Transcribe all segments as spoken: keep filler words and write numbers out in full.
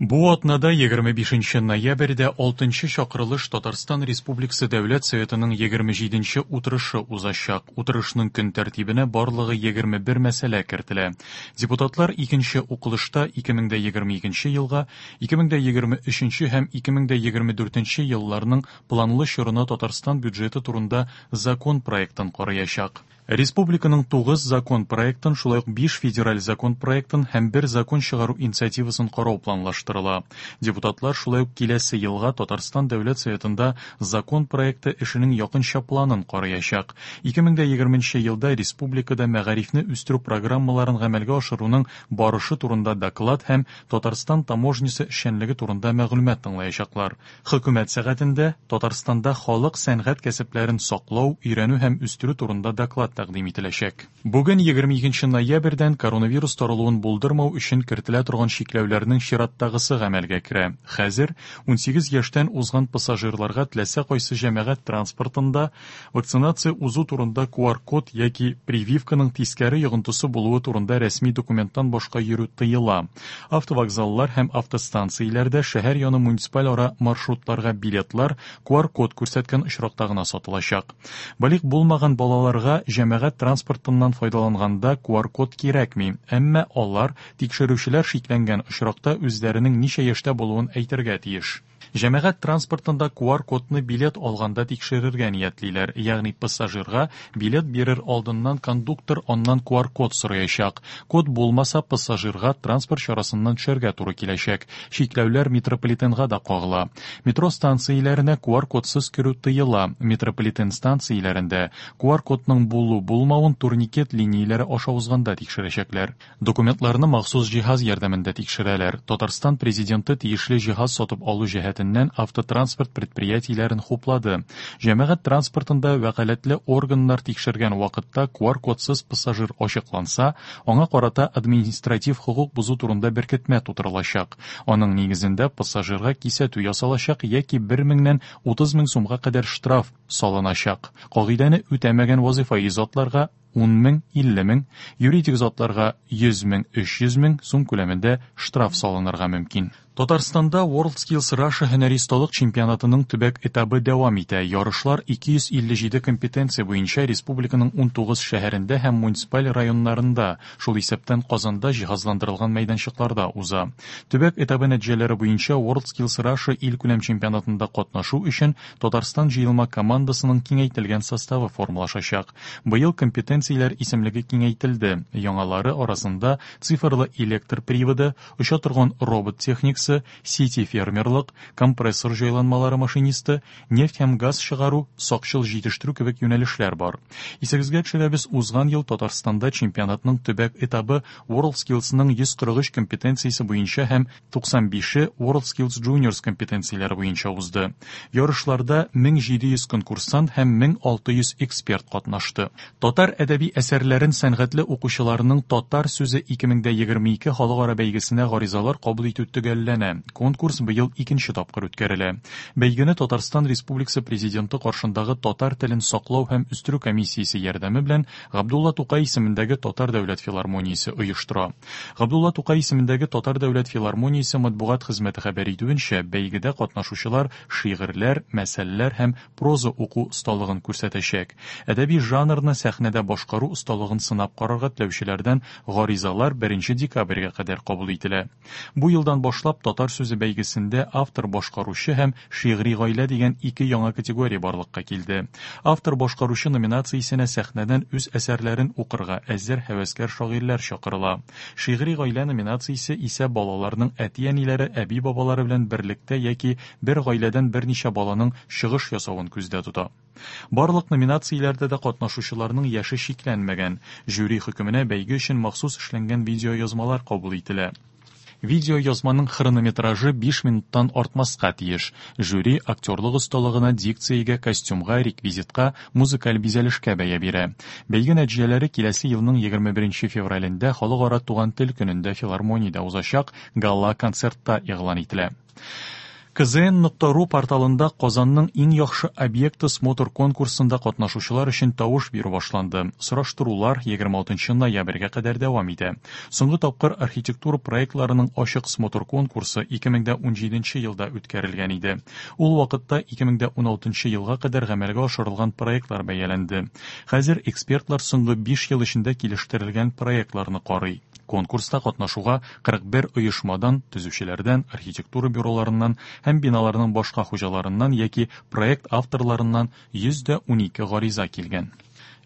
Бу атнада егерме бишенче ноябрьдә алтынчы чакырылыш Татарстан Республикасы Дәүләт Советының егерме җиденче утырышы узачак. Утырышның көн тәртибенә барлыгы егерме бер мәсьәлә кертелә. Депутатлар икенче укылышта ике мең дә егерме икенче елга, ике мең дә егерме өченче һәм ике мең дә егерме дүртенче елларның планлы чорына Татарстан бюджеты турында закон проектын караячак. Республиканың тугыз закон проектын, шулай ук биш федераль закон проектын һәм бер закон чыгару инициативасын карау планлаштырыла. Депутатлар шулай ук киләсе елга Татарстан Дәүләт Советында закон проекты эшенең якынча планын караячак. Ике мең дә егерменче елда республикада мәгарифне үстерү программаларын гамәлгә ашыруның барышы турында доклад һәм Татарстан таможнясы эшчәнлеге турында мәгълүмат тыңлаячаклар. Хөкүмәт сәгатендә Татарстанда халык сәнгать кәсепләрен саклау, өйрәнү һәм үстерү турында доклад тәкъдим ителәчәк. Бүген егерме икенче ноябрьдән коронавирус таралуын булдырмау өчен кертелә торган чикләүләрнең чираттагысы гамәлгә керә. Хәзер унсигез яшьтән узган пассажирларга теләсә кайсы җәмәгать транспортында вакцинация узу турында ку ар код яки прививканың тискәре йогынтысы булуы турында рәсми документтан башка йөрү тыела. Автовокзаллар һәм автостанцияләрдә шәһәр яны муниципаль ара маршрутларга билетлар ку ар код күрсәткән очракта гына сатылачак. Балигъ булмаган балаларга җәмәгать транспортыннан файдаланганда ку ар код кирәкми, әмма алар тикшерүчеләр шикләнгән очракта үзләренең ничә яшьтә булуын әйтергә тиеш. Җәмәгать транспортында ку ар кодны билет алганда тикшерергә ниятлиләр, ягъни пассажирга билет бирер алдыннан кондуктор аннан ку ар код сораячак. Код булмаса, пассажирга транспорт чарасыннан төшәргә туры киләчәк. Чикләүләр метрополитенга да кагыла. Метро станцияләренә ку ар кодсыз керү тыела. Метрополитен станцияләрендә ку ар кодның булу-булмавын турникет линияләре аша узганда тикшерәчәкләр. Документларны махсус җиһаз ярдәмендә тикшерәләр. Татарстан президенты тиешле җиһаз сатып алу җәһәтеннән автотранспорт предприятиеләрен хуплады. Җәмәгать транспортында вәкаләтле органнар тикшергән вакытта ку ар кодсыз пассажир ачыкланса, аңа карата административ хокук бозу турында беркетмә тутырылачак. Аның нигезендә пассажирга кисәтү ясалачак яки бер меңнән утыз мең сумга кадәр штраф салыначак. Кагыйдәне үтәмәгән вазифаи затларга ун мең, илле мең, юридик затларга йөз мең, өч йөз мең сум күләмендә штраф салынырга мөмкин. Татарстанда WorldSkills Russia һөнәри осталык чемпионатының төбәк этабы дәвам итә. Ярышлар ике йөз илле җиде компетенция буенча республиканың унтугыз шәһәрендә һәм муниципаль районнарында, шул исәптән Казанда җиһазландырылган мәйданчыкларда уза. Төбәк этабы нәтиҗәләре буенча WorldSkills Russia илкүләм чемпионатында катнашу өчен Татарстан җыелма командасының киңәйтелгән составы формалашачак. Быел компетенцияләр исемлеге киңәйтелде. Яңалары арасында цифрлы электр приводы, оча торган робот техникасы, сити фермерлык, компрессор җайланмалары машинисты, нефть һәм газ чыгару, сакчыл җитештерү кебек юнәлешләр бар. Исегезгә төшерәбез, узган ел Татарстанда чемпионатның төбәк этабы WorldSkillsның йөз кырык өч компетенциясе буенча һәм туксан бише WorldSkills Juniors компетенцияләре буенча узды. Ярышларда мең җиде йөз конкурсант һәм мең алты йөз эксперт катнашты. Татар әдәби әсәрләрен сәнгатьле укучыларның Татар сүзе ике мең дә егерме ике халыкара бәйгесенә гаризалар кабул итү төгәлләнә. Конкурс быел икенче тапкыр үткәрелә. Бәйгене Татарстан Республикасы Президенты каршындагы татар телен саклау һәм үстерү комиссиясе ярдәме белән Габдулла Тукай исемендәге Татар дәүләт филармониясе оештыра. Габдулла Тукай исемендәге Татар дәүләт филармониясе матбугат хезмәте хәбәр итүенчә, бәйгедә катнашучылар шигырьләр, мәсәлләр һәм проза уку осталыгын күрсәтәчәк. Әдәби жанрны сәхнәдә башкару осталыгын сынап карарга теләүчеләрдән гаризалар беренче декабрьгә кадәр кабул ителә. Бу елдан башлап Татар сүзе бәйгесендә автор башкаручы һәм шигъри гаилә дигән ике яңа категория барлыкка килде. Автор башкаручы номинациясенә сәхнәдән үз әсәрләрен укырга әзер һәвәскәр шагыйрьләр чакырыла. Шигъри гаилә номинациясе исә балаларның әти-әниләре, әби-бабалары белән берлектә яки бер гаиләдән берничә баланың чыгыш ясавын күздә тота. Барлык номинацияләрдә дә катнашучыларның яше чикләнмәгән. Жюри хөкеменә бәйге өчен махсус эшләнгән видеоязмалар кабул ителә. Видеоязманың хронометражы биш минуттан артмаска тиеш. Жюри актерлык осталыгына, дикциягә, костюмга, реквизитка, музыкаль бизәлешкә бәя бирә. Бәйге нәтиҗәләре киләсе елның егерме беренче февралендә Халыкара туган тел көнендә филармониядә узачак гала-концертта игълан ителә. K Z N nokta ru порталында Казанның иң яхшы объекты смотр конкурсында катнашучылар өчен тавыш бирү башланды. Сораштырулар егерме алтынчы ноябрьгә кадәр дәвам итә. Соңгы тапкыр архитектура проектларының ачык смотр конкурсы ике мең дә унҗиденче елда үткәрелгән иде. Ул вакытта ике мең дә уналтынчы елга кадәр гамәлгә ашырылган проектлар бәяләнде. Хәзер экспертлар соңгы биш ел эчендә килештерелгән проектларны карый. Конкурста катнашуга кырык бер оешмадан, төзүчеләрдән, архитектура бюроларыннан һәм биналарның башка хуҗаларыннан яки проект авторларыннан йөз дә унике гариза килгән.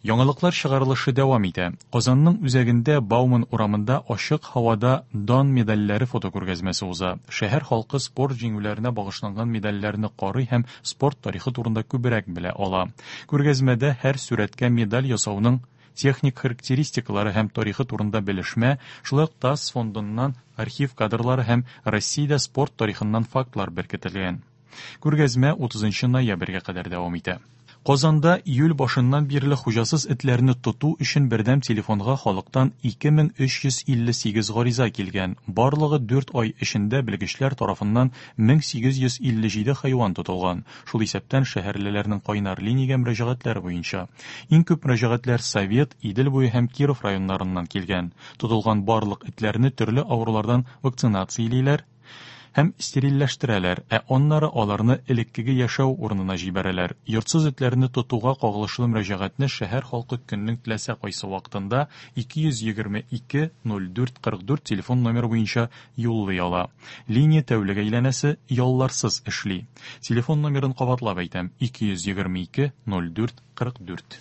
Яңалыклар чыгарылышы дәвам итә. Казанның үзәгендә Бауман урамында ачык һавада дан медальләре фотокүргәзмәсе уза. Шәһәр халкы спорт җиңүләренә багышланган медальләрне карый һәм спорт тарихы турында күбрәк белә ала. Күргәзмәдә һәр сурәткә медаль ясауның техник характеристикалары һәм тарихы турында белешмә, шулай ук ТАСС фондыннан архив кадрлары һәм Россиядә спорт тарихыннан фактлар беркетелгән. Күргәзмә утызынчы ноябрьгә кадәр дәвам итә. Казанда июль башыннан бирле хуҗасыз этләрне тоту өчен бердәм телефонга халыктан ике мең өч йөз илле сигез гариза килгән. Барлыгы дүрт ай эчендә белгечләр тарафыннан мең сигез йөз илле җиде хайван тотылган. Шул исәптән шәһәрлеләрнең кайнар линиягә мөрәҗәгатьләре буенча. Иң күп мөрәҗәгатьләр Совет, Идел буе һәм Киров районнарыннан килгән. Тотылган барлык этләрне төрле авырулардан вакцинациялиләр һәм стерильләштерәләр, ә аннары аларны элеккеге яшәү урынына җибәрәләр. Йортсыз этләрне тотуга кагылышлы мөрәҗәгатьне шәһәр халкы көннең теләсә кайсы вакытында ике йөз егерме ике ноль дүрт кырык дүрт телефон номеры буенча юллый ала. Линия тәүлек әйләнәсе ялларсыз эшли. Телефон номерын кабатлап әйтәм: ике йөз егерме ике ноль дүрт кырык дүрт.